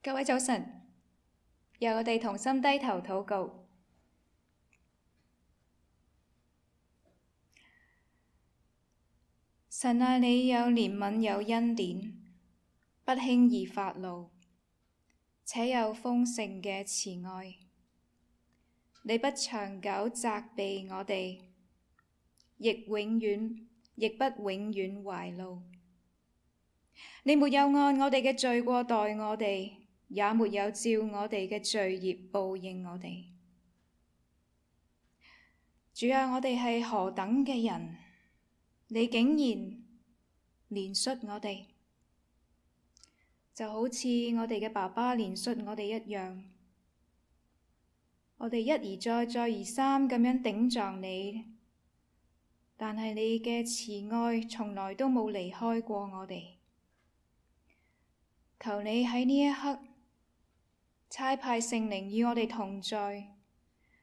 各位早晨，由我哋同心低頭禱告。神啊，你有憐憫有恩典，不輕易發怒，且有豐盛嘅慈愛。你不長久責備我哋，亦不永遠懷怒。你沒有按我哋嘅罪過待我哋，也沒有照我哋嘅罪孽報應我哋。主啊，我哋係何等嘅人，你竟然憐恤我哋，就好似我哋嘅爸爸憐恤我哋一樣。我哋一而再，再而三咁樣頂撞你，但係你嘅慈愛從來都冇離開過我哋。求你喺呢一刻差派聖靈與我哋同在，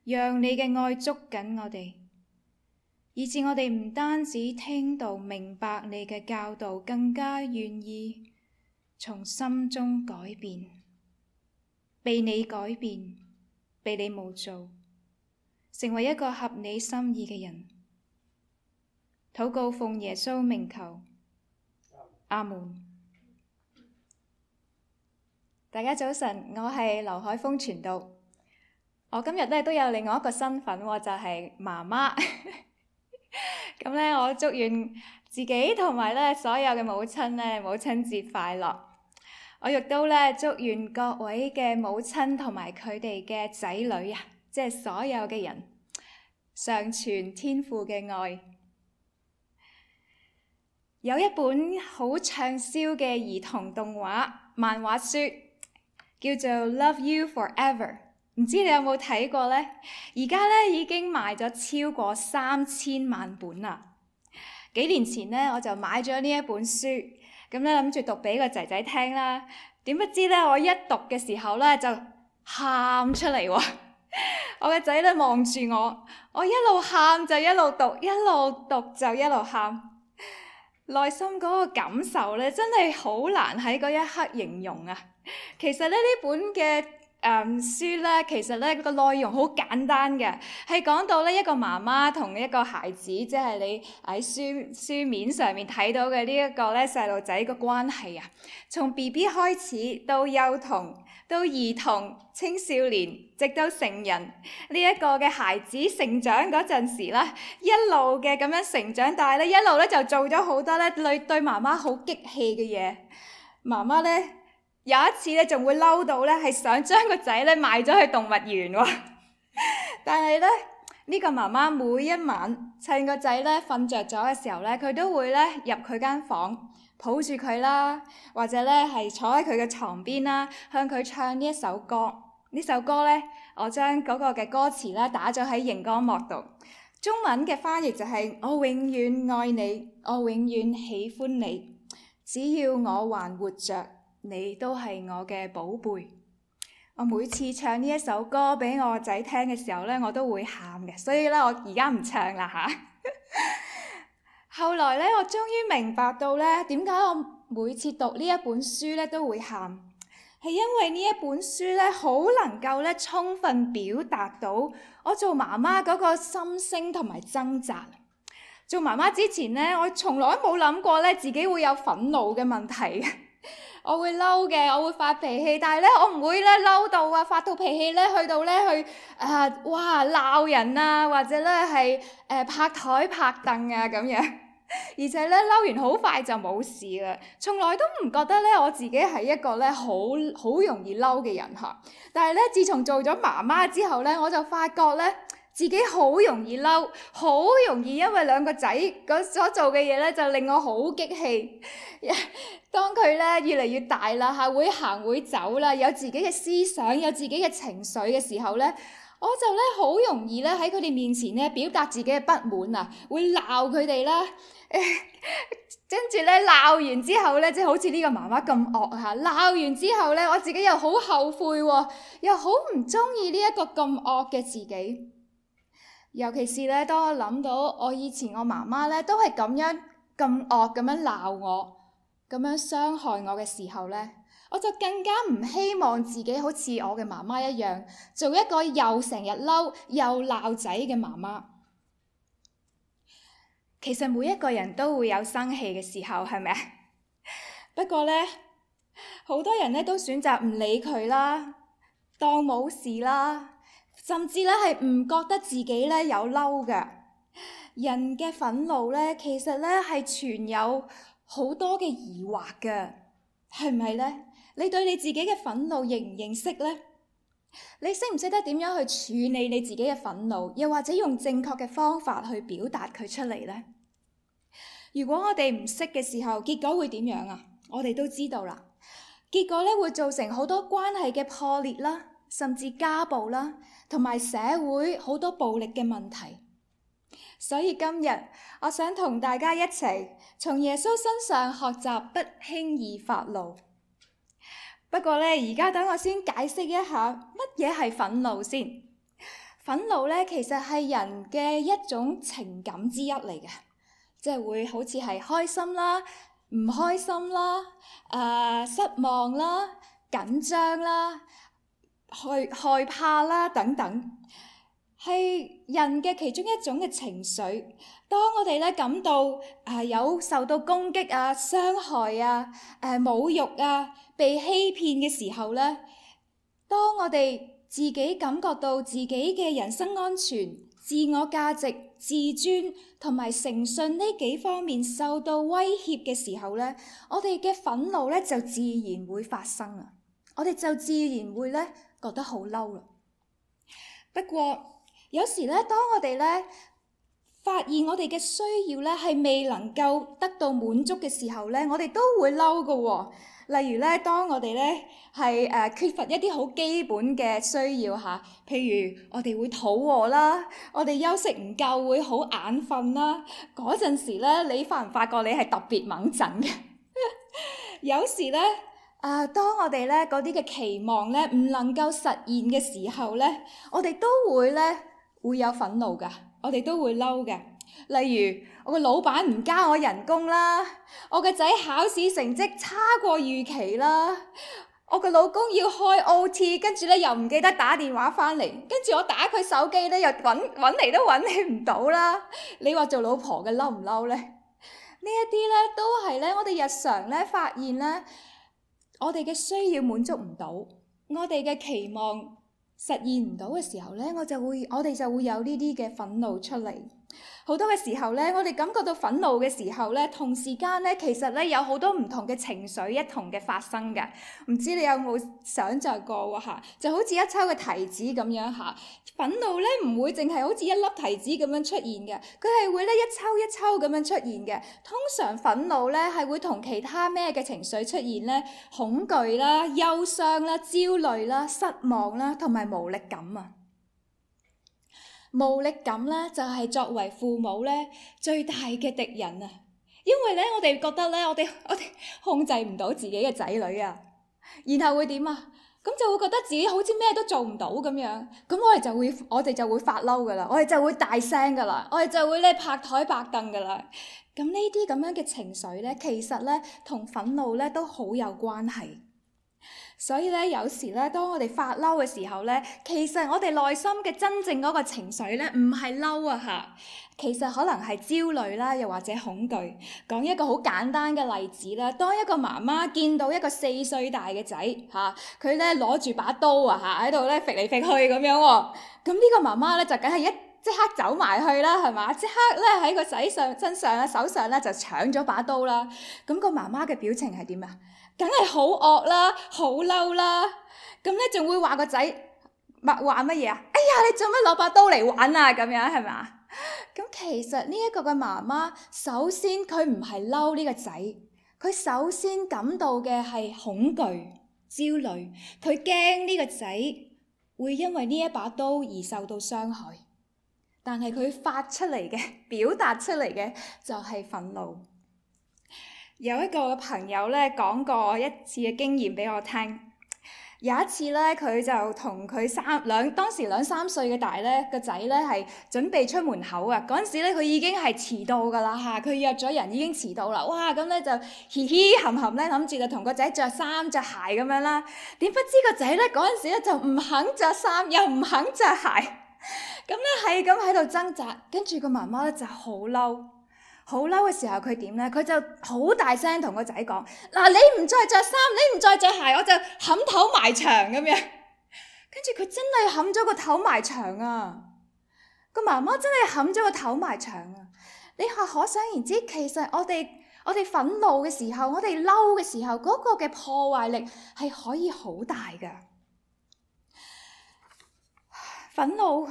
讓你嘅愛捉緊我哋，以致我哋唔單止聽到明白你嘅教導，更加願意從心中改變，被你改變，被你模造，成為一個合你心意嘅人。禱告奉耶穌名求，阿門。大家早晨，我係劉海峰傳道。我今日都有另外一個身份，就係媽媽。咁我祝願自己同埋所有嘅母親母親節快樂。我亦都祝願各位嘅母親同埋佢哋嘅仔女啊，即係所有嘅人，常傳天父嘅愛。有一本好暢銷嘅兒童動畫漫畫書，叫做《Love You Forever》，唔知你有冇睇過呢？而家已經賣咗超過3000萬本啦。幾年前我就買咗呢一本書，咁諗住讀俾個仔仔聽啦。點不知我一讀嘅時候就喊出嚟喎。我嘅仔望住我一路喊就一路讀，一路讀就一路喊。內心嗰個感受真係好難喺嗰一刻形容啊！其實呢本嘅書其實個內容好簡單嘅，係講到一個媽媽同一個孩子，即係你喺書面上面睇到嘅呢一個細路仔個關係啊。從 BB 開始到幼童，到兒童、青少年，直到成人，呢一個嘅孩子成長嗰陣時啦，一路嘅咁樣成長，但係一路就做咗好多對媽媽好激氣嘅嘢。媽媽有一次仲會嬲到係想將個仔賣咗去動物園喎。但係呢個媽媽每一晚趁個仔瞓着咗嘅時候佢都會入佢間房抱住佢啦，或者係坐喺佢嘅床邊啦，向佢唱呢一首歌。呢首歌我將嗰個嘅歌詞打咗喺熒光幕度。中文嘅翻譯就係：我永遠愛你，我永遠喜歡你，只要我還活着，你都係我嘅寶貝。我每次唱呢一首歌俾我仔聽嘅時候我都會喊嘅，所以我而家唔唱啦吓。後來我終於明白到點解我每次讀呢一本書都會喊，係因為呢一本書好能夠充分表達到我做媽媽嗰個心聲同埋掙扎。做媽媽之前我從來冇諗過自己會有憤怒嘅問題。我會嬲嘅，我會發脾氣，但係我唔會嬲到發到脾氣去到鬧人啊，或者係拍台拍凳啊咁樣，而且嬲完好快就冇事啦。從來都唔覺得我自己係一個好容易嬲嘅人嚇。但係自從做咗媽媽之後我就發覺自己好容易嬲，好容易因為兩個仔所做嘅嘢就令我好激氣。當佢越嚟越大啦嚇，會行會走啦，有自己嘅思想，有自己嘅情緒嘅時候我就好容易喺佢哋面前表達自己嘅不滿啊，會鬧佢哋啦。跟住鬧完之後即係好似呢個媽媽咁惡嚇，鬧完之後我自己又好後悔喎，又好唔中意呢一個咁惡嘅自己。尤其是當我諗到我以前我媽媽都係咁樣咁惡咁樣鬧我，咁樣傷害我嘅時候我就更加唔希望自己好似我嘅媽媽一樣，做一個又成日嬲又鬧仔嘅媽媽。其實每一個人都會有生氣嘅時候，係咪啊？不過呢，好多人呢都選擇唔理佢啦，當冇事啦，甚至呢係唔覺得自己呢有嬲嘅。人嘅憤怒呢，其實呢係存有好多嘅疑惑嘅，係咪呢？你對你自己嘅憤怒認唔認識呢？你識唔識得點樣去處理你自己嘅憤怒，又或者用正確嘅方法去表達佢出嚟呢？如果我哋唔識嘅時候，結果會點樣啊？我哋都知道啦，結果咧會造成好多關係嘅破裂啦，甚至家暴啦，同埋社會好多暴力嘅問題。所以今日我想同大家一齊從耶穌身上學習不輕易發怒。不過咧，而家等我先解釋一下乜嘢係憤怒先。憤怒咧其實係人嘅一種情感之一嚟嘅，即係會好似係開心啦、唔開心啦、失望啦、緊張啦、害怕啦等等，係人嘅其中一種嘅情緒。當我哋咧感到有受到攻擊啊、傷害啊、侮辱啊、被欺騙嘅時候咧，當我哋自己感覺到自己嘅人身安全、自我價值、自尊同埋誠信呢幾方面受到威脅嘅時候咧，我哋嘅憤怒咧就自然會發生啦。我哋就自然會咧覺得好嬲啦。不過有時咧，當我哋咧發現我哋嘅需要咧係未能夠得到滿足嘅時候咧，我哋都會嬲㗎喎。例如咧，當我哋咧係缺乏一啲好基本嘅需要嚇，譬如我哋會肚餓啦，我哋休息唔夠會好眼瞓啦。嗰陣時咧，你發唔發覺你係特別掹陣嘅？有時咧當我哋咧嗰啲嘅期望咧唔能夠實現嘅時候咧，我哋都會有憤怒㗎，我哋都會嬲嘅。例如我個老闆唔加我人工啦，我個仔考試成績差過預期啦，我個老公要開 OT， 跟住咧又唔記得打電話返嚟，跟住我打佢手機咧又揾嚟都揾你唔到啦。你話做老婆嘅嬲唔嬲咧？呢一啲咧都係咧我哋日常咧發現咧，我哋嘅需要滿足唔到，我哋嘅期望實現唔到嘅時候咧，我哋就會有呢啲嘅憤怒出嚟。好多嘅時候咧，我哋感覺到憤怒嘅時候咧，同時間咧，其實咧有好多唔同嘅情緒一同嘅發生嘅。唔知你有冇想像過喎嚇？就好似一抽嘅提子咁樣嚇。憤怒咧唔會淨係好似一粒提子咁樣出現嘅，佢係會咧一抽一抽咁樣出現嘅。通常憤怒咧係會同其他咩嘅情緒出現咧？恐懼啦、憂傷啦、焦慮啦、失望啦，同埋無力感啊！無力感咧就係作為父母咧最大嘅敵人啊！因為咧我哋覺得咧我哋控制唔到自己嘅仔女啊，然後會點啊？咁就會覺得自己好似咩都做唔到咁樣，咁我哋就會發嬲噶啦，我哋就會大聲噶啦，我哋就會咧拍台拍凳噶啦。咁呢啲咁樣嘅情緒咧，其實咧同憤怒咧都好有關係。所以咧，有時咧，當我哋發嬲嘅時候咧，其實我哋內心嘅真正嗰個情緒咧，唔係嬲啊嚇，其實可能係焦慮啦，又或者恐懼。講一個好簡單嘅例子啦，當一個媽媽見到一個4歲大嘅仔嚇，佢咧攞住把刀啊嚇，喺度咧揈嚟揈去咁樣喎，咁呢個媽媽咧就梗係即刻走埋去啦，係嘛？即刻咧喺個仔身上啊手上咧就搶咗把刀啦。咁個媽媽嘅表情係點啊？梗係好惡啦，好嬲啦。咁咧仲會話個仔話乜嘢啊？哎呀，你做乜攞把刀嚟玩啊？咁樣係嘛？咁其實呢一個嘅媽媽，首先佢唔係嬲呢個仔，佢首先感到嘅係恐懼、焦慮，佢驚呢個仔會因為呢一把刀而受到傷害。但係佢發出嚟嘅、表達出嚟嘅就係憤怒。有一個朋友咧講過一次嘅經驗俾我聽，有一次咧，佢就同佢當時兩三歲嘅大咧個仔咧係準備出門口啊！嗰陣時咧，佢已經係遲到㗎啦嚇，佢約咗人已經遲到啦。哇！咁咧就嘻嘻冚冚咧，諗住就同個仔着衫着鞋咁樣啦。點不知個仔咧嗰陣時咧就唔肯着衫，又唔肯着鞋，咁咧係咁喺度掙扎。跟住個媽媽咧就好嬲。好嬲嘅時候，佢點呢？佢就好大聲同個仔講：嗱，你唔再着衫，你唔再着鞋，我就冚頭埋牆咁樣。跟住佢真係冚咗個頭埋牆啊！個媽媽真係冚咗個頭埋牆啊！你可想而知，其實我哋憤怒嘅時候，我哋嬲嘅時候，嗰個嘅破壞力係可以好大㗎。憤怒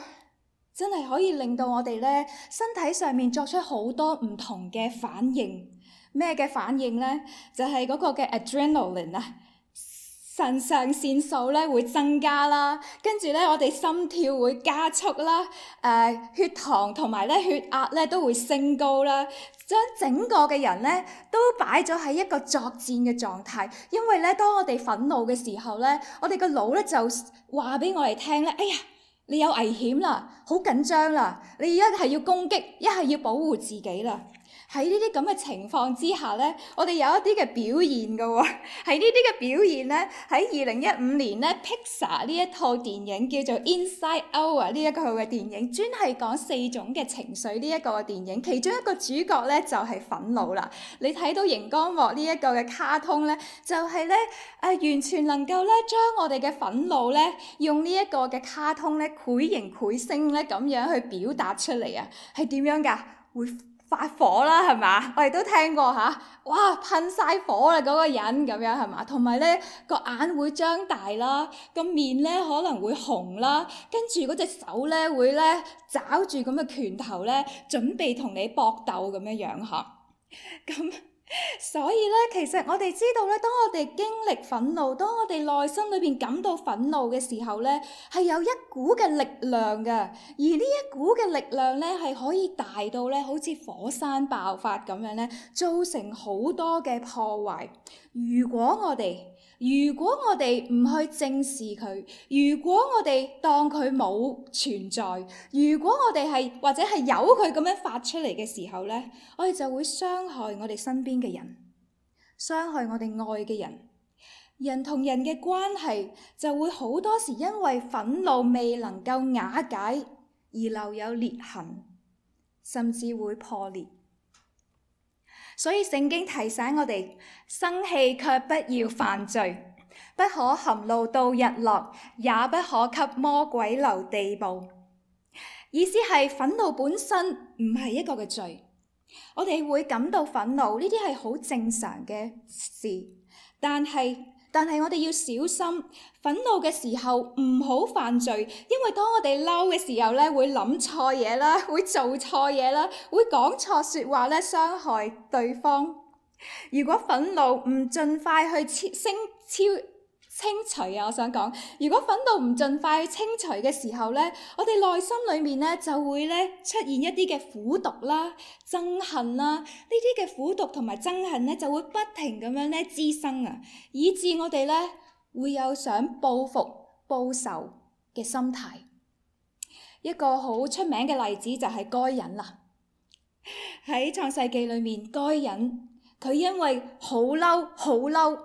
真係可以令到我哋咧身體上面作出好多唔同嘅反應。咩嘅反應呢？就係嗰個嘅 adrenaline 啊，腎上腺素咧會增加啦，跟住咧我哋心跳會加速啦，血糖同埋咧血壓咧都會升高啦，將整個嘅人咧都擺咗喺一個作戰嘅狀態。因為咧當我哋憤怒嘅時候咧，我哋個腦咧就話俾我哋聽咧，哎呀！你有危險啦，好緊張啦，你一係要攻擊，一係要保護自己啦。喺呢啲咁嘅情況之下呢，我哋有一啲嘅表現㗎喎。喺呢啲嘅表現呢，喺2015年呢 Pixar 呢一套電影叫做 Inside Out 啊，呢一個嘅電影專係講4種嘅情緒呢一個嘅電影，其中一個主角呢就係憤怒啦。你睇到熒光幕呢一個嘅卡通呢，就係呢完全能夠呢將我哋嘅憤怒呢用呢一個嘅卡通呢繪形繪聲呢咁樣去表達出嚟啊，係點樣㗎？會發火啦，係嘛？我哋都聽過嚇，哇噴晒火啦嗰個人咁樣係嘛？同埋咧個眼會張大啦，個面咧可能會紅啦，跟住嗰隻手咧會咧抓住咁嘅拳頭咧，準備同你搏鬥咁樣樣嚇。咁所以咧，其實我哋知道咧，當我哋經歷憤怒，當我哋內心裏邊感到憤怒嘅時候咧，係有一股嘅力量嘅，而呢一股嘅力量咧係可以大到咧，好似火山爆發咁樣咧，造成好多嘅破壞。如果我哋唔去正視佢，如果我哋當佢冇存在，如果我哋係或者係由佢咁樣發出嚟嘅時候咧，我哋就會傷害我哋身邊嘅人，傷害我哋愛嘅人。人同人嘅關係就會好多時因為憤怒未能夠瓦解而留有裂痕，甚至會破裂。所以聖經提醒我哋，生氣卻不要犯罪，不可含怒到日落，也不可給魔鬼留地步。意思係憤怒本身唔係一個嘅罪，我哋會感到憤怒，呢啲係好正常嘅事，但係我哋要小心，憤怒嘅時候唔好犯罪，因為當我哋嬲嘅時候咧，會諗錯嘢啦，會做錯嘢啦，會講錯説話咧，傷害對方。如果憤怒唔盡快去清除啊，我想講，如果憤怒唔盡快去清除嘅時候咧，我哋內心裏面咧就會咧出現一啲嘅苦毒啦、憎恨啦，呢啲嘅苦毒同埋憎恨咧就會不停咁樣咧滋生啊，以致我哋咧會有想報復、報仇嘅心態。一個好出名嘅例子就係該隱啦。喺創世記裏面，該隱佢因為好嬲，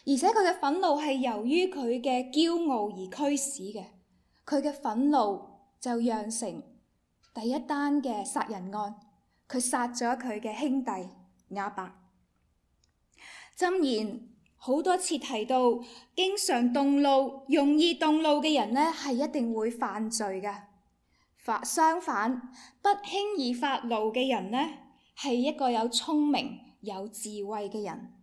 而且佢嘅憤怒係由於佢嘅驕傲而驅使嘅，佢嘅憤怒就釀成第一單嘅殺人案，佢殺咗佢嘅兄弟亞伯。箴言好多次提到，經常動怒、容易動怒嘅人呢，係一定會犯罪嘅。相反，不輕易發怒嘅人呢，係一個有聰明、有智慧嘅人。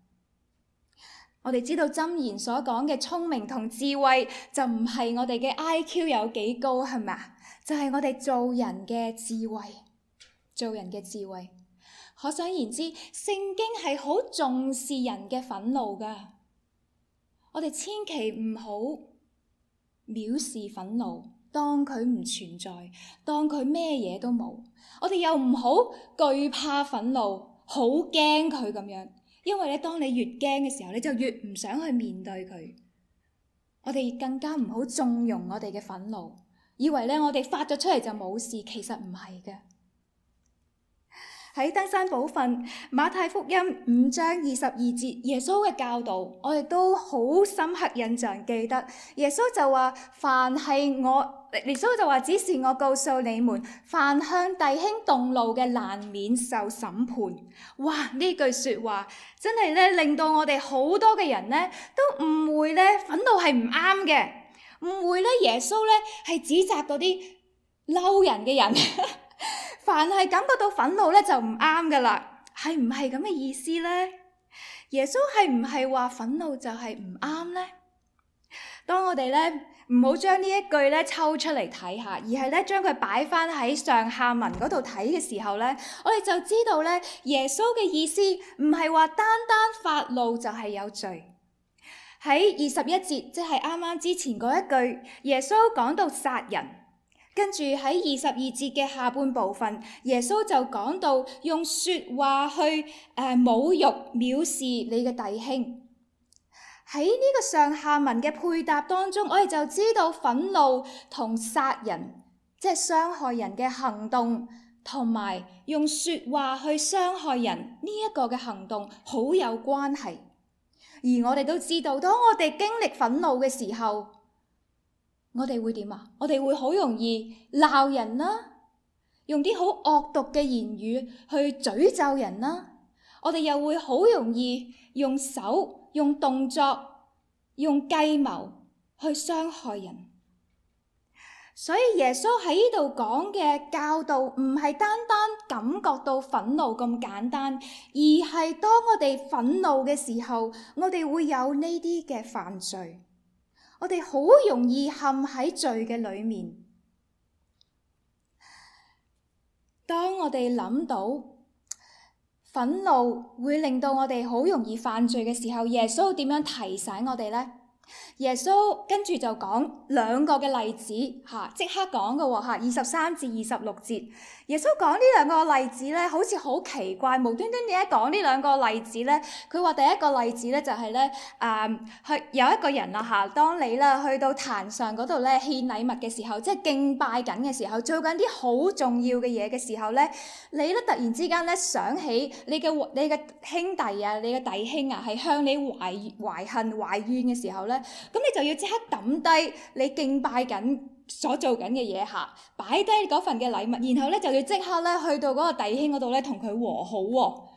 我哋知道箴言所講嘅聰明同智慧，就唔係我哋嘅 IQ 有幾高，係咪啊？就係我哋做人嘅智慧，做人嘅智慧。可想而知，聖經係好重視人嘅憤怒㗎。我哋千祈唔好藐視憤怒，當佢唔存在，當佢咩嘢都冇。我哋又唔好懼怕憤怒，好驚佢咁樣。因為咧，當你越驚嘅時候，你就越唔想去面對佢。我哋更加唔好縱容我哋嘅憤怒，以為咧我哋發咗出嚟就冇事，其實唔係嘅。喺登山寶訓馬太福音5章22節，耶穌嘅教導，我哋都好深刻印象記得。耶穌就話：耶穌就話，只是我告訴你們，凡向弟兄動怒嘅，難免受審判。哇！呢句說話真係咧，令到我哋好多嘅人咧都誤會咧，憤怒係唔啱嘅，誤會咧耶穌咧係指責嗰啲嬲人嘅人。凡係感覺到憤怒咧就唔啱噶啦，係唔係咁嘅意思呢？耶穌係唔係話憤怒就係唔啱呢？當我哋咧唔好將呢一句咧抽出嚟睇下，而係咧將佢擺翻喺上下文嗰度睇嘅時候咧，我哋就知道咧耶穌嘅意思唔係話單單發怒就係有罪。喺21節，即係啱啱之前嗰一句，耶穌講到殺人。跟住喺22節嘅下半部分，耶穌就講到用說話去侮辱、藐視你嘅弟兄。喺呢個上下文嘅配搭當中，我哋就知道憤怒同殺人，即係傷害人嘅行動，同埋用說話去傷害人呢一個嘅行動好有關係。而我哋都知道，當我哋經歷憤怒嘅時候，我哋會點啊？我哋會好容易鬧人啦，用啲好惡毒嘅言語去詛咒人啦。我哋又會好容易用手、用動作、用計謀去傷害人。所以耶穌喺呢度講嘅教導唔係單單感覺到憤怒咁簡單，而係當我哋憤怒嘅時候，我哋會有呢啲嘅犯罪。我哋好容易陷喺罪嘅裏面。當我哋諗到憤怒會令到我哋好容易犯罪嘅時候，耶穌點樣提醒我哋呢？耶穌跟住就講兩個嘅例子嚇，即刻講嘅喎嚇，23至26節。耶穌講呢兩個例子咧，好似好奇怪，無端端點解講呢兩個例子咧？佢話第一個例子咧就係咧，有一個人啊嚇，當你啦去到壇上嗰度咧獻禮物嘅時候，即係敬拜緊嘅時候，做緊啲好重要嘅嘢嘅時候咧，你咧突然之間咧想起你嘅兄弟啊，你嘅弟兄啊，係向你懷恨懷怨嘅時候咧，咁你就要即刻抌低你敬拜緊所做緊嘅嘢嚇，擺低嗰份嘅禮物，然後咧就要即刻咧去到嗰個弟兄嗰度咧同佢和好喎。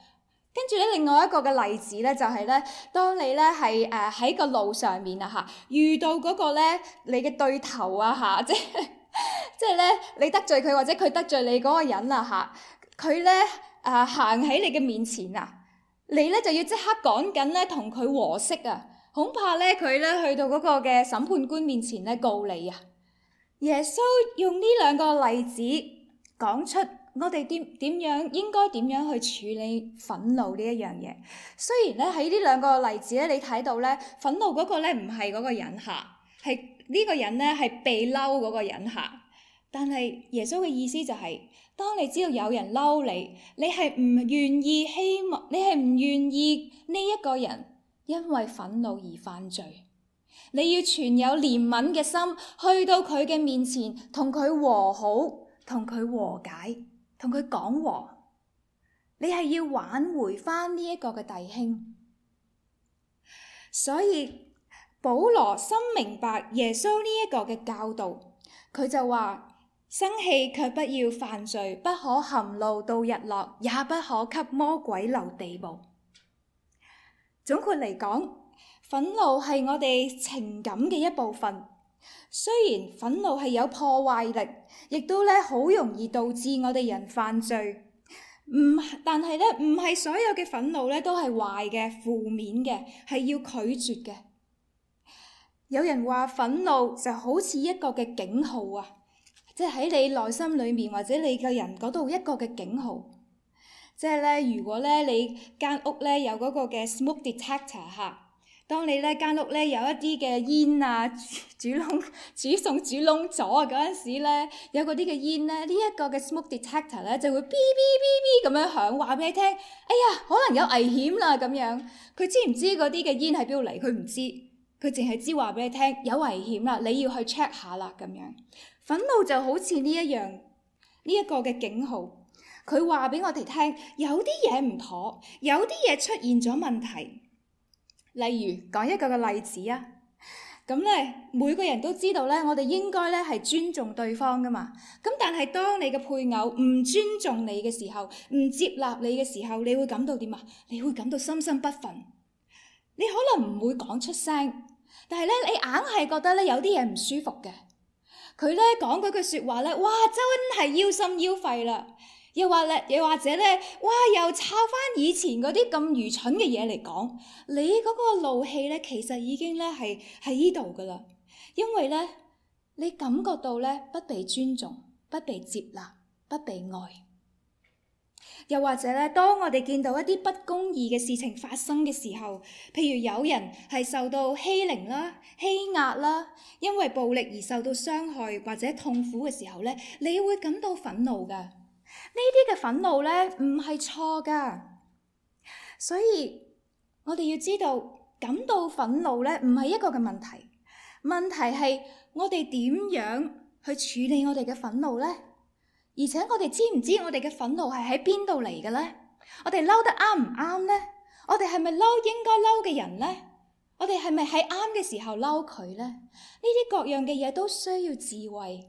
跟住咧另外一個嘅例子咧就係咧，當你咧係喺個路上面啊嚇，遇到嗰個咧你嘅對頭啊嚇，即係咧你得罪佢或者佢得罪你嗰個人啊嚇，佢咧行喺你嘅面前啊，你咧就要即刻趕緊咧同佢和息啊，恐怕咧佢咧去到嗰個嘅審判官面前咧告你啊。耶穌用呢兩個例子講出我哋應該點樣去處理憤怒呢一樣嘢。雖然咧喺呢兩個例子咧，你睇到咧憤怒嗰個咧唔係嗰個人嚇，係呢個人咧係被嬲嗰個人嚇。但係耶穌嘅意思就係，當你知道有人嬲你，你係唔願意呢一個人因為憤怒而犯罪。你要存有憐憫嘅心，去到佢嘅面前，同佢和好，同佢和解，同佢講和。你係要挽回返呢一個嘅弟兄。所以保羅深明白耶穌呢一個嘅教導，佢就話：生氣卻不要犯罪，不可含怒到日落，也不可給魔鬼留地步。總括嚟講，憤怒係我哋情感嘅一部分，雖然憤怒係有破壞力，亦都咧好容易導致我哋人犯罪。但係咧唔係所有嘅憤怒咧都係壞嘅、負面嘅，係要拒絕嘅。有人話憤怒就好似一個嘅警號啊，即係喺你內心裏面或者你嘅人嗰度一個嘅警號。即係咧，如果咧你間屋咧有嗰個嘅 smoke detector 嚇。當你咧間屋咧有一啲嘅煙啊，煮燶咗嗰陣時咧，有嗰啲嘅煙咧，呢一個嘅 smoke detector 咧就會嗶嗶嗶嗶咁樣響，話俾你聽，哎呀，可能有危險啦咁樣。佢知唔知嗰啲嘅煙喺邊度嚟？佢唔知。佢淨係知話俾你聽有危險啦，你要去 check 下啦咁樣。憤怒就好似呢一個嘅警號，佢話俾我哋聽有啲嘢唔妥，有啲嘢出現咗問題。例如講一個嘅例子啊，咁咧每個人都知道咧，我哋應該咧係尊重對方噶嘛。咁但係當你嘅配偶唔尊重你嘅時候，唔接納你嘅時候，你會感到點啊？你會感到心生不忿。你可能唔會講出聲，但係咧你硬係覺得咧有啲嘢唔舒服嘅。佢咧講嗰句説話咧，哇真係腰心腰肺啦！又或者咧，哇又抄翻以前嗰啲咁愚蠢嘅嘢嚟講，你嗰個怒氣咧其實已經咧係喺呢度噶啦，因為咧你感覺到咧不被尊重、不被接納、不被愛。又或者咧，當我哋見到一啲不公義嘅事情發生嘅時候，譬如有人係受到欺凌啦、欺壓啦，因為暴力而受到傷害或者痛苦嘅時候咧，你會感到憤怒㗎。呢啲嘅憤怒咧唔係錯㗎，所以我哋要知道感到憤怒咧唔係一個嘅問題，問題係我哋點樣去處理我哋嘅憤怒咧？而且我哋知唔知我哋嘅憤怒係喺邊度嚟嘅咧？我哋嬲得啱唔啱咧？我哋係咪嬲應該嬲嘅人咧？我哋係咪喺啱嘅時候嬲佢咧？呢啲各樣嘅嘢都需要智慧。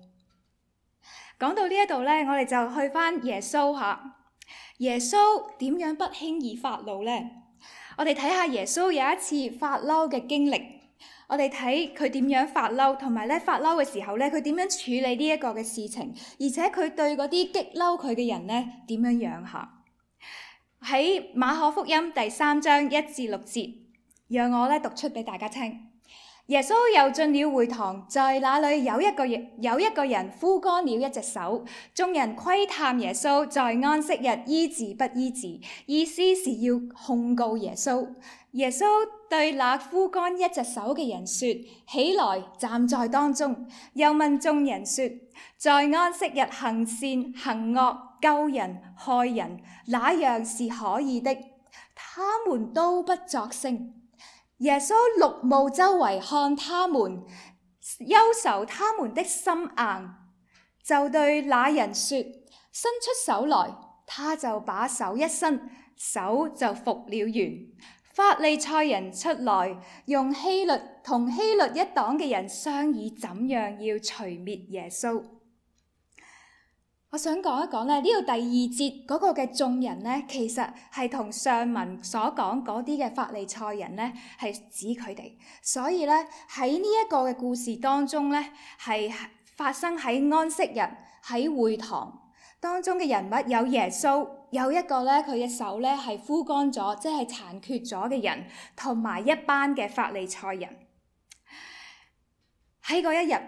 講到呢一度咧，我哋就去返耶穌嚇。耶穌點樣不輕易發怒咧？我哋睇下耶穌有一次發嬲嘅經歷。我哋睇佢點樣發嬲，同埋咧發嬲嘅時候咧，佢點樣處理呢一個嘅事情，而且佢對嗰啲激嬲佢嘅人咧點樣樣下。喺馬可福音第3章1至6節，讓我咧讀出俾大家聽。耶穌又進了會堂，在那裏有一個人枯乾了一隻手，眾人窺探耶穌在安息日醫治不醫治，意思是要控告耶穌。耶穌對那枯乾一隻手嘅人說：起來，站在當中。又問眾人說：在安息日行善行惡、救人害人，哪樣是可以的？他們都不作聲。耶穌怒目周圍看他們，憂愁他們的心硬，就對那人說：伸出手來。他就把手一伸，手就復了原。法利賽人出來，用同希律一黨嘅人商議怎樣要除滅耶穌。我想講一講咧，呢度第2節嗰個嘅眾人咧，其實係同上文所講嗰啲嘅法利賽人咧，係指佢哋。所以咧喺呢一個嘅故事當中咧，係發生喺安息日喺會堂當中嘅人物有耶穌，有一個咧佢嘅手咧係枯乾咗，即係殘缺咗嘅人，同埋一班嘅法利賽人。喺嗰一日，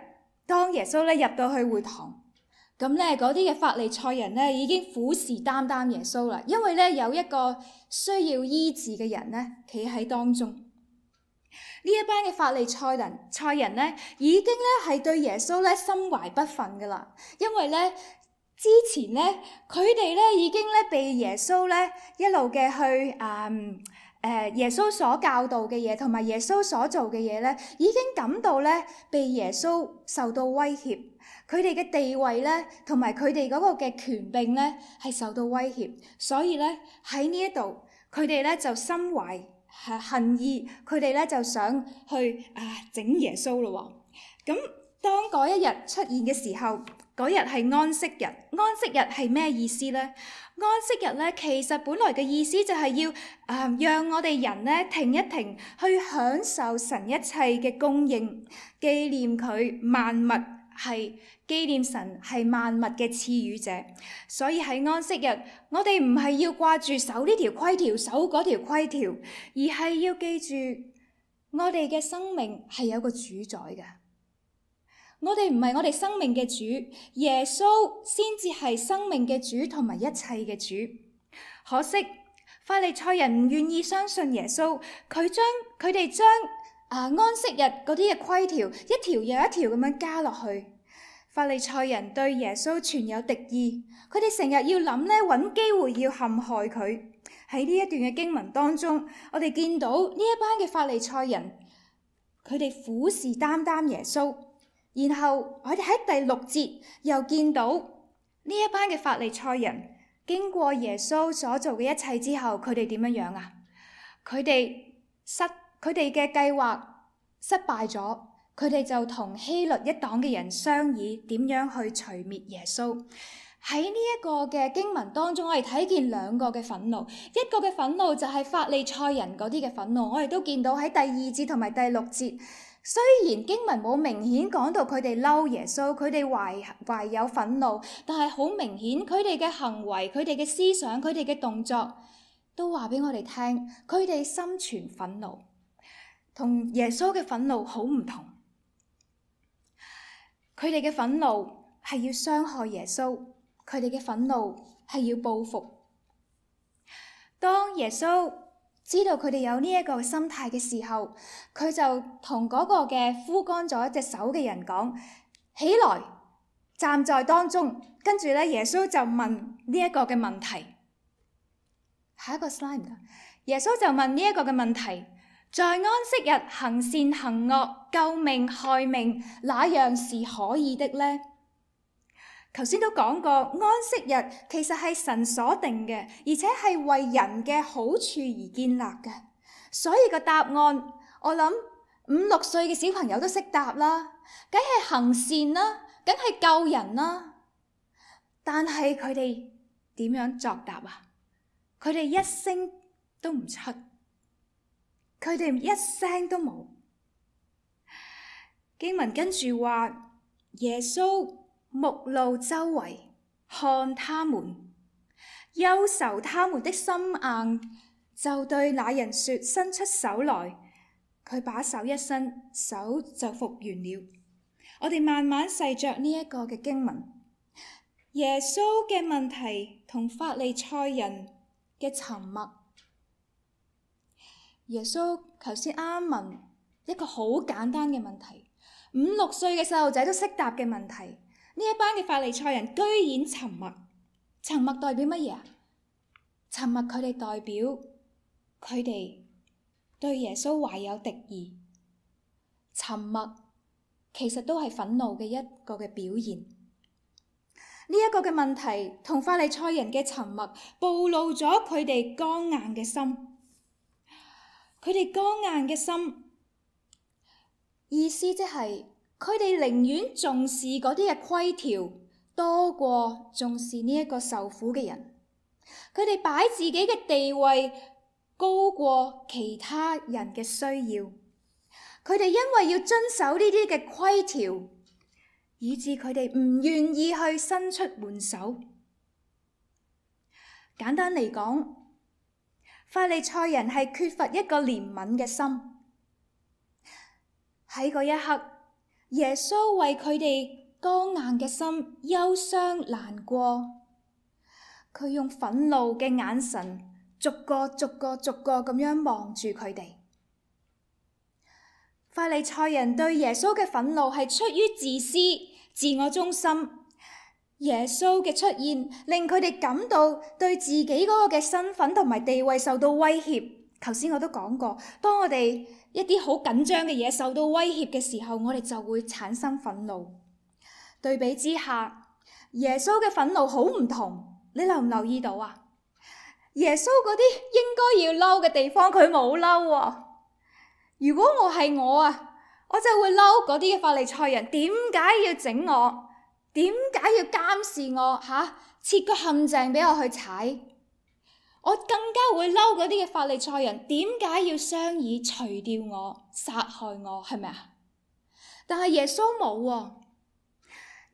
當耶穌咧入到去會堂。咁咧，嗰啲嘅法利賽人咧已經虎視眈眈耶穌啦，因為咧有一個需要醫治嘅人咧企喺當中。呢一班嘅法利賽人咧已經咧係對耶穌咧心懷不忿噶啦，因為咧之前咧佢哋咧已經咧被耶穌咧一路嘅去耶穌所教導嘅嘢，同埋耶穌所做嘅嘢咧，已經感到咧被耶穌受到威脅。佢哋嘅地位咧，同埋佢哋嗰個嘅權柄咧，係受到威脅，所以咧喺呢一度，佢哋咧就心懷恨意，佢哋咧就想去整耶穌咯喎。咁當嗰一日出現嘅時候，嗰日係安息日。安息日係咩意思咧？安息日咧，其實本來嘅意思就係要讓我哋人咧停一停，去享受神一切嘅供應，紀念佢萬物。係紀念神係萬物嘅賜予者，所以喺安息日，我哋唔係要掛住守呢條規條，守嗰條規條，而係要記住我哋嘅生命係有個主宰嘅。我哋唔係我哋生命嘅主，耶穌先至係生命嘅主同埋一切嘅主。可惜法利賽人唔願意相信耶穌，佢哋將安息日嗰啲嘅規條一條又一條咁樣加落去。法利賽人對耶穌存有敵意，佢哋成日要諗咧，揾機會要陷害佢。喺呢一段嘅經文當中，我哋見到呢一班嘅法利賽人，佢哋虎視眈眈耶穌。然後我哋喺第6節又見到呢一班嘅法利賽人經過耶穌所做嘅一切之後，佢哋點樣啊？佢哋嘅計劃失敗咗，佢哋就同希律一黨嘅人商議點樣去除滅耶穌。喺呢一個嘅經文當中，我哋睇見2個嘅憤怒，一個嘅憤怒就係法利賽人嗰啲嘅憤怒，我哋都見到喺第2節同埋第6節。雖然經文冇明顯講到佢哋嬲耶穌，佢哋懷有憤怒，但係好明顯佢哋嘅行為、佢哋嘅思想、佢哋嘅動作都話俾我哋聽，佢哋心存憤怒，同耶穌嘅憤怒好唔同。佢哋嘅憤怒係要傷害耶穌，佢哋嘅憤怒係要報復。當耶穌知道佢哋有呢一個心態嘅時候，佢就同嗰個嘅枯乾咗一隻手嘅人講：起來，站在當中。跟住咧，耶穌就問呢一個嘅問題。下一個 slide 唔該。耶穌就問呢一個嘅問題：在安息日行善行惡、救命害命，哪樣是可以的呢？頭先都講過，安息日其實係神所定嘅，而且係為人嘅好處而建立嘅。所以個答案，我諗5、6歲嘅小朋友都識答啦，梗係行善啦，梗係救人啦。但係佢哋點樣作答啊？佢哋一聲都唔出，佢哋一聲都冇。經文跟住話，耶穌目露周圍，看他們，憂愁他們的心硬，就對那人說：伸出手來。佢把手一伸，手就復原了。我哋慢慢細嚼呢一個嘅經文。耶穌嘅問題同法利賽人嘅沉默。耶穌頭先啱問一個好簡單嘅問題，5、6歲嘅細路仔都識答嘅問題。呢一班嘅法利賽人居然沉默，沉默代表乜嘢啊？沉默佢哋代表佢哋對耶穌懷有敵意，沉默其實都係憤怒嘅一個嘅表現。呢一個嘅問題同法利賽人嘅沉默，暴露咗佢哋剛硬嘅心。佢哋剛硬嘅心，意思即係，佢哋寧願重視嗰啲嘅規條，多過重視呢一個受苦嘅人。佢哋擺自己嘅地位高過其他人嘅需要。佢哋因為要遵守呢啲嘅規條，以致佢哋唔願意去伸出援手。簡單嚟講，法利賽人係缺乏一個憐憫嘅心。喺嗰一刻，耶穌為佢哋剛硬嘅心憂傷難過，佢用憤怒嘅眼神逐個咁樣望住佢哋。法利賽人對耶穌嘅憤怒係出於自私、自我中心。耶穌嘅出現令佢哋感到對自己嗰個嘅身份同埋地位受到威脅。頭先我都講過，當我哋一啲好緊張嘅嘢受到威脅嘅時候，我哋就會產生憤怒。對比之下，耶穌嘅憤怒好唔同，你留唔留意到啊？耶穌嗰啲應該要嬲嘅地方，佢冇嬲喎。如果我係我啊，我就會嬲嗰啲嘅法利賽人，點解要整我？點解要監視我？設個陷阱俾我去踩？我更加會嬲嗰啲嘅法利賽人，點解要商議除掉我、殺害我？係咪啊？但係耶穌冇喎。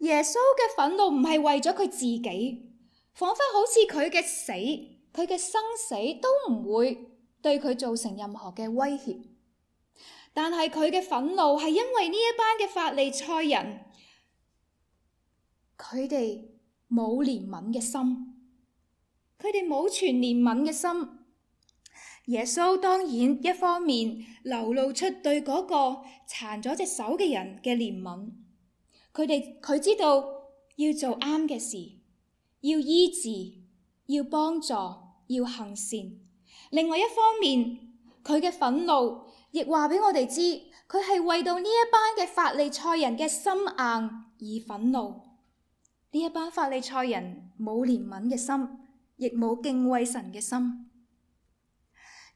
耶穌嘅憤怒唔係為咗佢自己，彷彿好似佢嘅死、佢嘅生死都唔會對佢造成任何嘅威脅。但係佢嘅憤怒係因為呢一班嘅法利賽人，佢哋冇憐憫嘅心，佢哋冇存憐憫嘅心。耶穌當然一方面流露出對嗰個殘咗隻手嘅人嘅憐憫，佢知道要做啱嘅事，要醫治，要幫助，要行善。另外一方面，佢嘅憤怒亦話俾我哋知，佢係為到呢一班嘅法利賽人嘅心硬而憤怒。呢一班法利賽人冇憐憫嘅心，亦冇敬畏神嘅心。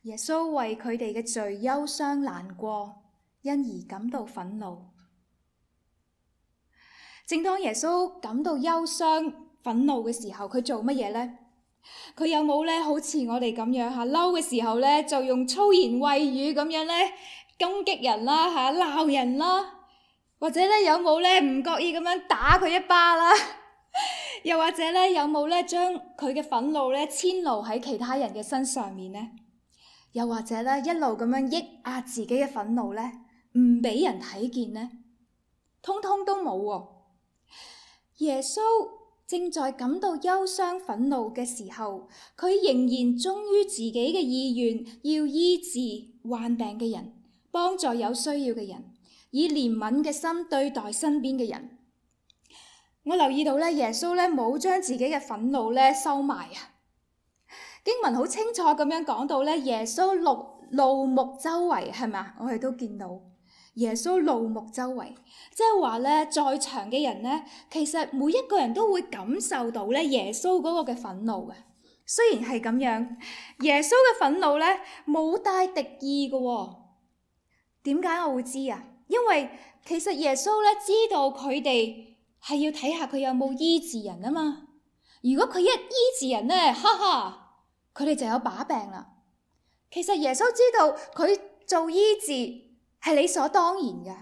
耶穌為佢哋嘅罪憂傷難過，因而感到憤怒。正當耶穌感到憂傷憤怒嘅時候，佢做乜嘢呢？佢有冇咧好似我哋咁樣嚇嬲嘅時候咧，就用粗言穢語咁樣咧攻擊人啦嚇，鬧人啦，或者咧有冇咧唔覺意咁樣打佢一巴啦？又或者咧有冇咧將佢嘅憤怒咧遷怒喺其他人嘅身上面呢？又或者咧一路咁樣抑壓自己嘅憤怒咧，唔俾人睇見呢？通通都冇喎。耶穌正在感到憂傷憤怒嘅時候，佢仍然忠於自己嘅意願，要醫治患病嘅人，幫助有需要嘅人，以憐憫嘅心對待身邊嘅人。我留意到咧，耶穌咧冇將自己嘅憤怒咧收埋啊。經文好清楚咁樣講到咧，耶穌怒目周圍，係咪？我哋都見到耶穌怒目周圍，即係話咧，在場嘅人咧，其實每一個人都會感受到咧耶穌嗰個嘅憤怒嘅。雖然係咁樣，耶穌嘅憤怒咧冇帶敵意嘅喎。點解我會知啊？因為其實耶穌咧知道佢哋係要睇下佢有冇醫治人啊嘛。如果佢一醫治人咧，哈哈！佢哋就有把柄啦。其實耶穌知道佢做醫治係理所當然嘅，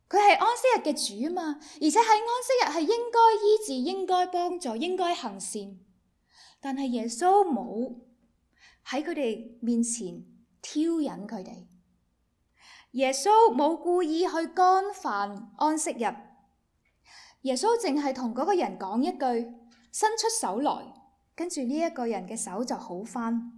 佢係安息日嘅主啊嘛，而且喺安息日係應該醫治、應該幫助、應該行善。但係耶穌冇喺佢哋面前挑釁佢哋，耶穌冇故意去干犯安息日。耶穌淨係同嗰個人講一句，伸出手來。跟住呢一個人嘅手就好返，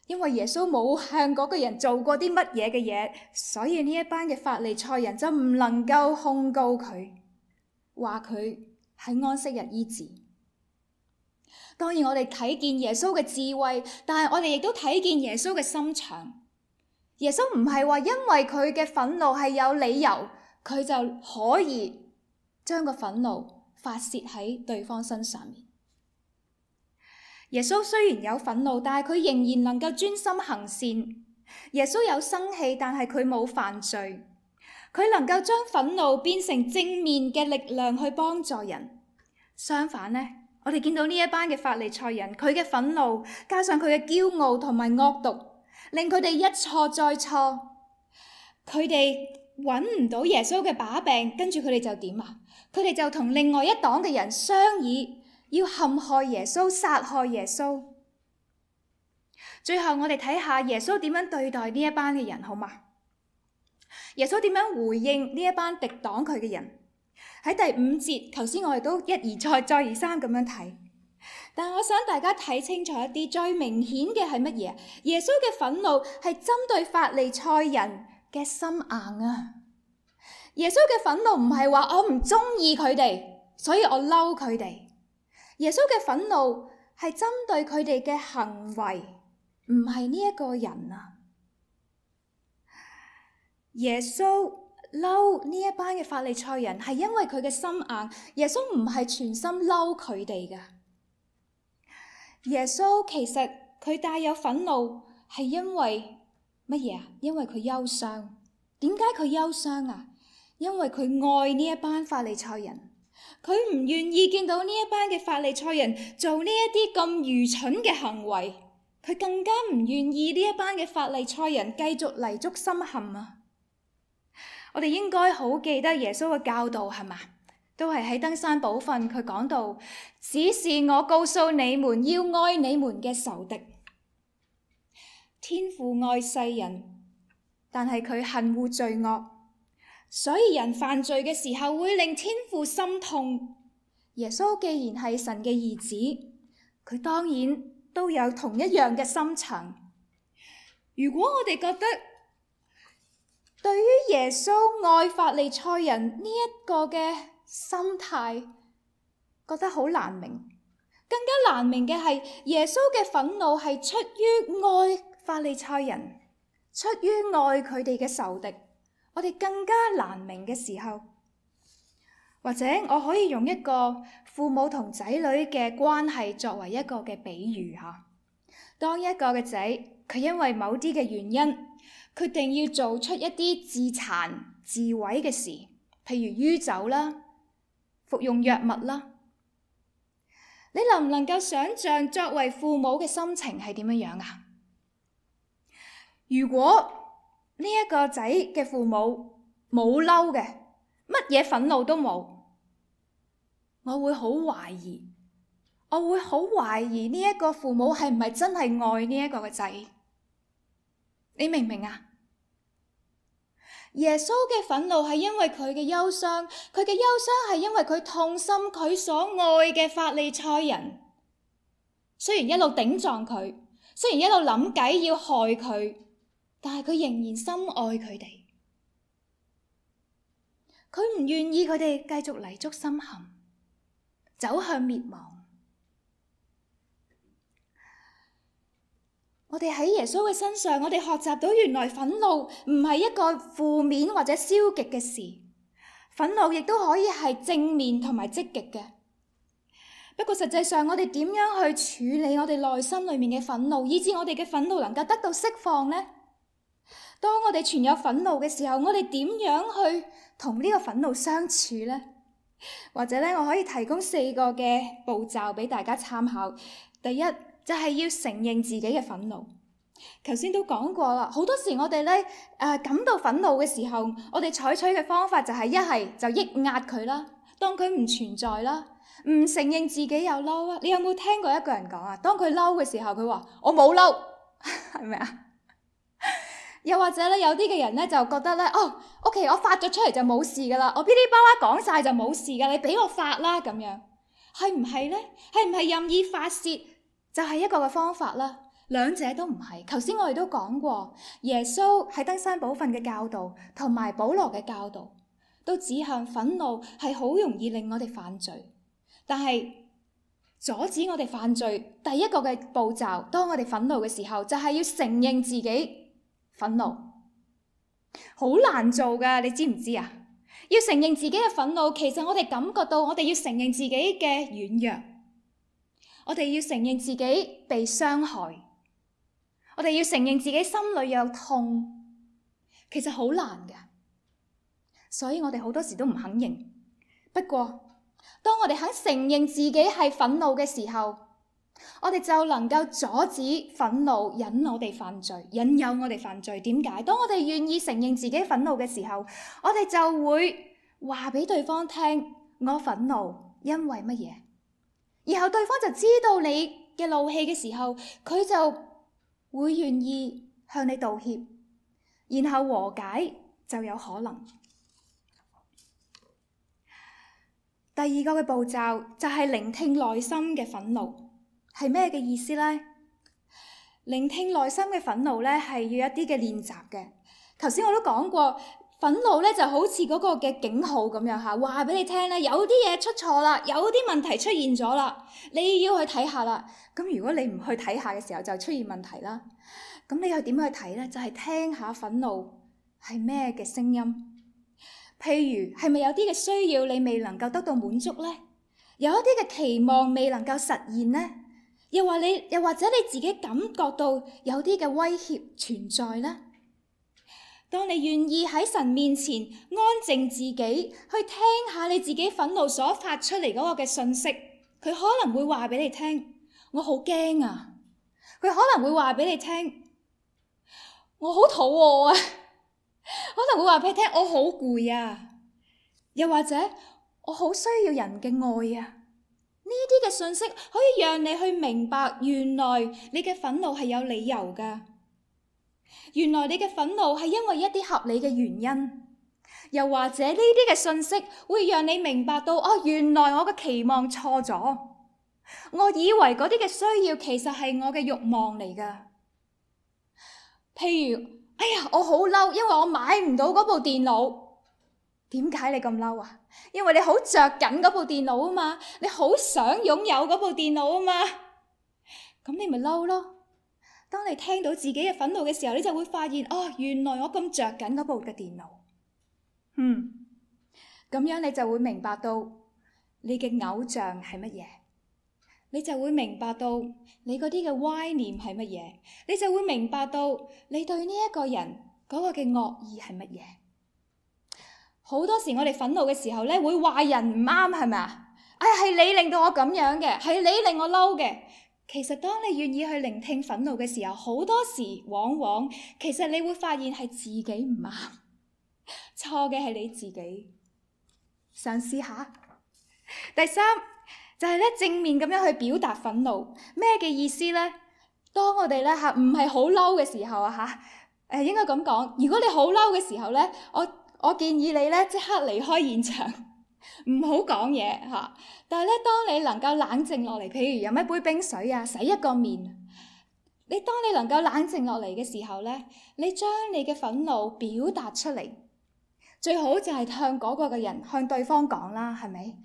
因為耶穌冇向嗰個人做過啲乜嘢嘅嘢，所以呢一班嘅法利賽人就唔能夠控告佢，話佢喺安息日醫治。當然我哋睇見耶穌嘅智慧，但係我哋亦都睇見耶穌嘅心腸。耶穌唔係話因為佢嘅憤怒係有理由，佢就可以將個憤怒發洩喺對方身上面。耶穌雖然有憤怒，但係佢仍然能夠專心行善。耶穌有生氣，但係佢冇犯罪。佢能夠將憤怒變成正面嘅力量去幫助人。相反呢，我哋見到呢一班嘅法利賽人，佢嘅憤怒加上佢嘅驕傲同埋惡毒，令佢哋一錯再錯。佢哋揾唔到耶穌嘅把柄，跟住佢哋就點啊？佢哋就同另外一黨嘅人商議，要陷害耶穌、殺害耶穌。最後我哋睇下耶穌點樣對待呢一班嘅人，好嗎？耶穌點樣回應呢一班敵擋佢嘅人？喺第5節，頭先我哋都一而再、再而三咁樣睇。但我想大家睇清楚一啲，最明顯嘅係乜嘢？耶穌嘅憤怒係針對法利賽人嘅心硬啊！耶穌嘅憤怒唔係話我唔中意佢哋，所以我嬲佢哋。耶穌嘅憤怒係針對佢哋嘅行為，唔係呢一個人啊。耶穌嬲呢一班嘅法利賽人係因為佢嘅心硬，耶穌唔係全心嬲佢哋㗎。耶穌其實佢帶有憤怒係因為乜嘢啊？因為佢憂傷。點解佢憂傷啊？因為佢愛呢一班法利賽人。佢唔願意見到呢一班嘅法利賽人做呢一啲咁愚蠢嘅行為，佢更加唔願意呢一班嘅法利賽人繼續泥足深陷啊！我哋應該好記得耶穌嘅教導，係嘛？都係喺登山寶訓，佢講到，只是我告訴你們，要愛你們嘅仇敵。天父愛世人，但係佢恨惡罪惡。所以人犯罪嘅時候會令天父心痛。耶穌既然係神嘅兒子，佢當然都有同一樣嘅心腸。如果我哋覺得對於耶穌愛法利賽人呢一個嘅心態覺得好難明，更加難明嘅係耶穌嘅憤怒係出於愛法利賽人，出於愛佢哋嘅仇敵，我哋更加難明嘅時候，或者我可以用一個父母同仔女嘅關係作為一個嘅比喻吓。當一個嘅仔，佢因為某啲嘅原因，決定要做出一啲自殘自毀嘅事，譬如酗酒啦、服用藥物啦，你能唔能夠想象作為父母嘅心情係點樣啊？如果呢一個仔嘅父母冇嬲嘅，乜嘢憤怒都冇，我會好懷疑呢一個父母係唔係真係愛呢一個嘅仔？你明唔明啊？耶穌嘅憤怒係因為佢嘅憂傷，佢嘅憂傷係因為佢痛心佢所愛嘅法利賽人，雖然一路頂撞佢，雖然一路諗計要害佢，但係佢仍然深愛佢哋，佢唔願意佢哋繼續泥足深陷，走向滅亡。我哋喺耶穌嘅身上，我哋學習到原來憤怒唔係一個負面或者消極嘅事，憤怒亦都可以係正面同埋積極嘅。不過實際上我哋點樣去處理我哋內心裏面嘅憤怒，以致我哋嘅憤怒能夠得到釋放呢？當我哋存有憤怒嘅時候，我哋點樣去同呢個憤怒相處呢？或者我可以提供4個嘅步驟俾大家參考。第一，就係要承認自己嘅憤怒。頭先都講過啦，好多時我哋感到憤怒嘅時候，我哋採取嘅方法就係一係就抑壓佢啦，當佢唔存在啦，唔承認自己有嬲啊。你有冇聽過一個人講啊？當佢嬲嘅時候，佢話我冇嬲，係咪啊？又或者有啲嘅人就覺得OK， 我發咗出嚟就冇事噶啦，我噼里啪啦講晒就冇事噶，你俾我發啦咁樣，係唔係呢？係唔係任意發洩就係一個嘅方法啦？兩者都唔係。頭先我哋都講過，耶穌喺登山寶訓嘅教導同埋保羅嘅教導都指向憤怒係好容易令我哋犯罪，但係阻止我哋犯罪第一個嘅步驟，當我哋憤怒嘅時候，就係要承認自己憤怒。好難做噶，你知唔知啊？要承認自己嘅憤怒，其實我哋感覺到我哋要承認自己嘅軟弱，我哋要承認自己被傷害，我哋要承認自己心裏有痛，其實好難嘅，所以我哋好多時都唔肯認。不過當我哋肯承認自己係憤怒嘅時候，我哋就能夠阻止憤怒引我哋犯罪，引誘我哋犯罪。點解？當我哋願意承認自己憤怒嘅時候，我哋就會話俾對方聽，我憤怒因為乜嘢，然後對方就知道你嘅怒氣嘅時候，佢就會願意向你道歉，然後和解就有可能。第二個嘅步驟就係聆聽內心嘅憤怒。係咩嘅意思呢？聆聽內心嘅憤怒係要一啲嘅練習嘅。頭先我都講過，憤怒就好似嗰個嘅警號咁樣嚇，話俾你聽有啲嘢出錯啦，有啲問題出現咗啦，你要去睇下啦。咁如果你唔去睇下嘅時候，就出現問題啦。咁你又點去睇呢？就係聽下憤怒係咩嘅聲音。譬如係咪有啲嘅需要你未能夠得到滿足呢？有一啲嘅期望未能夠實現呢？又或者你自己感覺到有啲嘅威脅存在呢？當你願意喺神面前安靜自己，去聽下你自己憤怒所發出嚟嗰個嘅訊息，佢可能會話俾你聽，我好驚啊！佢可能會話俾你聽，我好肚餓啊！可能會話俾你聽，我好攰啊！又或者我好需要人嘅愛啊！呢啲嘅信息可以讓你去明白，原來你嘅憤怒係有理由噶。原來你嘅憤怒係因為一啲合理嘅原因，又或者呢啲嘅信息會讓你明白到，原來我嘅期望錯咗，我以為嗰啲嘅需要其實係我嘅慾望嚟噶。譬如，我好嬲，因為我買唔到嗰部電腦。點解你咁嬲啊？因為你好着緊嗰部電腦啊嘛，你好想擁有嗰部電腦啊嘛，咁你咪嬲咯。當你聽到自己嘅憤怒嘅時候，你就會發現，哦，原來我咁着緊嗰部嘅電腦。咁樣你就會明白到你嘅偶像係乜嘢，你就會明白到你嗰啲嘅歪念係乜嘢，你就會明白到你對呢一個人嗰個嘅惡意係乜嘢。好多時我哋憤怒嘅時候咧，會話人唔啱，係咪啊？係你令到我咁樣嘅，係你令我嬲嘅。其實當你願意去聆聽憤怒嘅時候，好多時往往其實你會發現係自己唔啱，錯嘅係你自己。嘗試下。第三就係咧，正面咁樣去表達憤怒，咩嘅意思咧？當我哋咧唔係好嬲嘅時候應該咁講，如果你好嬲嘅時候咧，我建議你咧即刻離開現場，唔好講嘢嚇。但係咧，當你能夠冷靜落嚟，譬如飲一杯冰水啊，洗一個面，當你能夠冷靜落嚟嘅時候咧，你將你嘅憤怒表達出嚟，最好就係向嗰個嘅人，向對方講啦，係咪？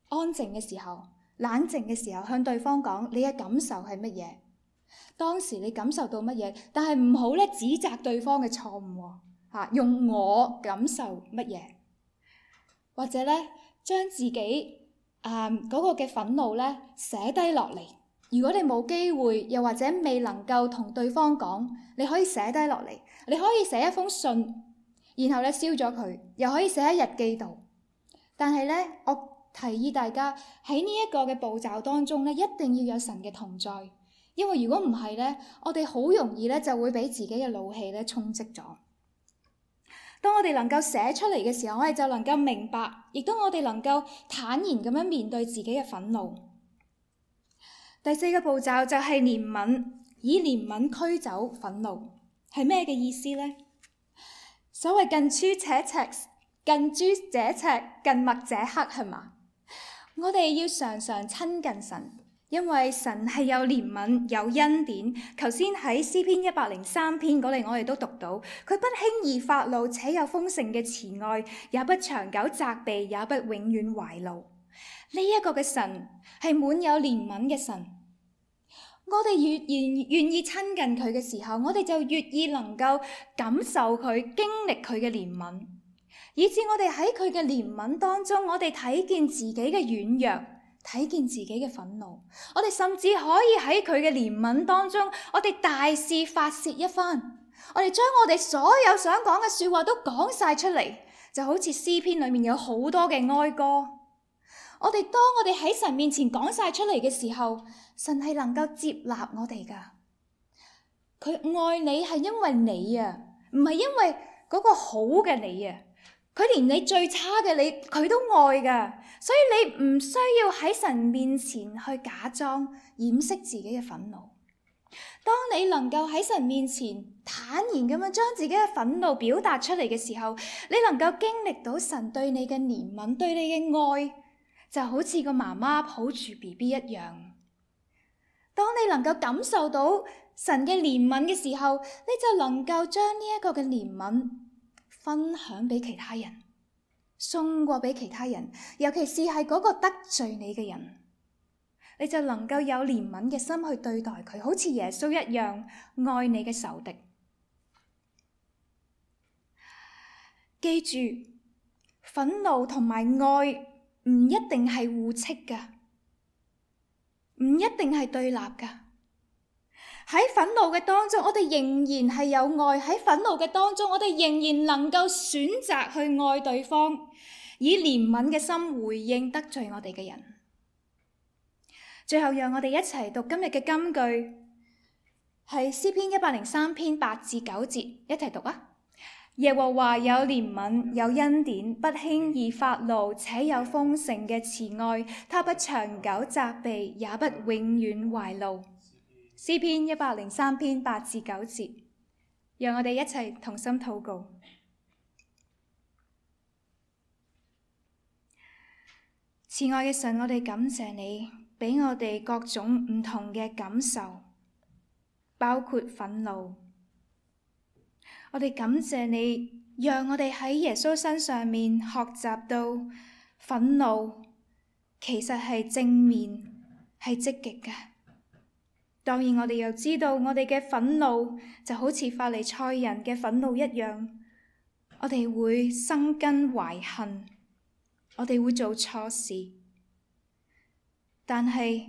安靜嘅時候，冷靜嘅時候，向對方講你嘅感受係乜嘢，當時你感受到乜嘢，但係唔好咧指責對方嘅錯誤喎，用我感受乜嘢，或者咧將自己嗰個嘅憤怒咧寫低落嚟。如果你冇機會，又或者未能夠同對方講，你可以寫低落嚟，你可以寫一封信，然後咧燒咗佢，又可以寫喺日記度。但係咧，我提議大家喺呢一個嘅步驟當中咧，一定要有神嘅同在，因為如果唔係咧，我哋好容易咧就會俾自己嘅怒氣咧充斥咗。當我哋能夠寫出嚟嘅時候，我哋就能夠明白，亦都我哋能夠坦然咁樣面對自己嘅憤怒。第四個步驟就係憐憫，以憐憫驅走憤怒，係咩嘅意思呢？所謂近朱者赤，近墨者黑，係嘛？我哋要常常親近神，因為神係有憐憫、有恩典。頭先喺詩篇103篇嗰度，我哋都讀到，佢不輕易發怒，且有豐盛嘅慈愛，也不長久責備，也不永遠懷怒。呢一個嘅神係滿有憐憫嘅神。我哋越願意親近佢嘅時候，我哋就越易能夠感受佢、經歷佢嘅憐憫。以致我哋喺佢嘅憐憫當中，我哋睇見自己嘅軟弱，睇見自己嘅憤怒。我哋甚至可以喺佢嘅憐憫當中，我哋大肆發洩一番。我哋將我哋所有想講嘅說話都講晒出嚟，就好似詩篇裏面有好多嘅哀歌。當我哋喺神面前講晒出嚟嘅時候，神係能夠接納我哋噶。佢愛你係因為你啊，唔係因為嗰個好嘅你啊。佢連你最差嘅你，佢都愛噶，所以你唔需要喺神面前去假裝掩飾自己嘅憤怒。當你能夠喺神面前坦然咁樣將自己嘅憤怒表達出嚟嘅時候，你能夠經歷到神對你嘅憐憫，對你嘅愛，就好似個媽媽抱住 BB 一樣。當你能夠感受到神嘅憐憫嘅時候，你就能夠將呢一個嘅憐憫分享俾其他人，送過俾其他人，尤其是係嗰個得罪你嘅人，你就能夠有憐憫嘅心去對待佢，好似耶穌一樣愛你嘅仇敵。記住，憤怒同埋愛唔一定係互斥噶，唔一定係對立噶。喺憤怒嘅當中，我哋仍然係有愛；喺憤怒嘅當中，我哋仍然能夠選擇去愛對方，以憐憫嘅心回應得罪我哋嘅人。最後，讓我哋一齊讀今日嘅金句，係詩篇103篇8至9節，一齊讀啊！耶和華有憐憫，有恩典，不輕易發怒，且有豐盛嘅慈愛，他不長久責備，也不永遠懷怒。詩篇103篇8至9節，讓我哋一齊同心禱告。慈愛嘅神，我哋感謝你，俾我哋各種唔同嘅感受，包括憤怒。我哋感謝你，讓我哋喺耶穌身上面學習到憤怒其實係正面，係積極嘅。當然我哋又知道，我哋嘅憤怒就好似法利賽人嘅憤怒一樣，我哋會生根懷恨，我哋會做錯事。但係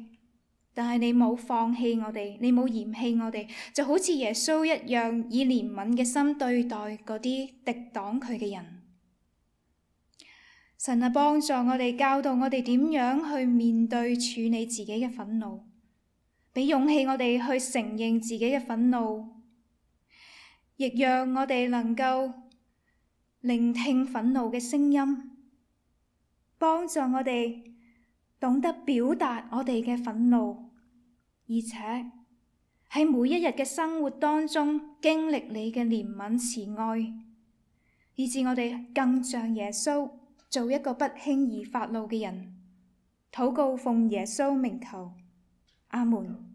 你冇放棄我哋，你冇嫌棄我哋，就好似耶穌一樣，以憐憫嘅心對待嗰啲敵擋佢嘅人。神啊，幫助我哋，教導我哋點樣去面對處理自己嘅憤怒，俾勇氣我哋去承認自己嘅憤怒，亦讓我哋能夠聆聽憤怒嘅聲音，幫助我哋懂得表達我哋嘅憤怒，而且喺每一日嘅生活當中經歷你嘅憐憫慈愛，以致我哋更像耶穌，做一個不輕易發怒嘅人。禱告奉耶穌名求，阿門。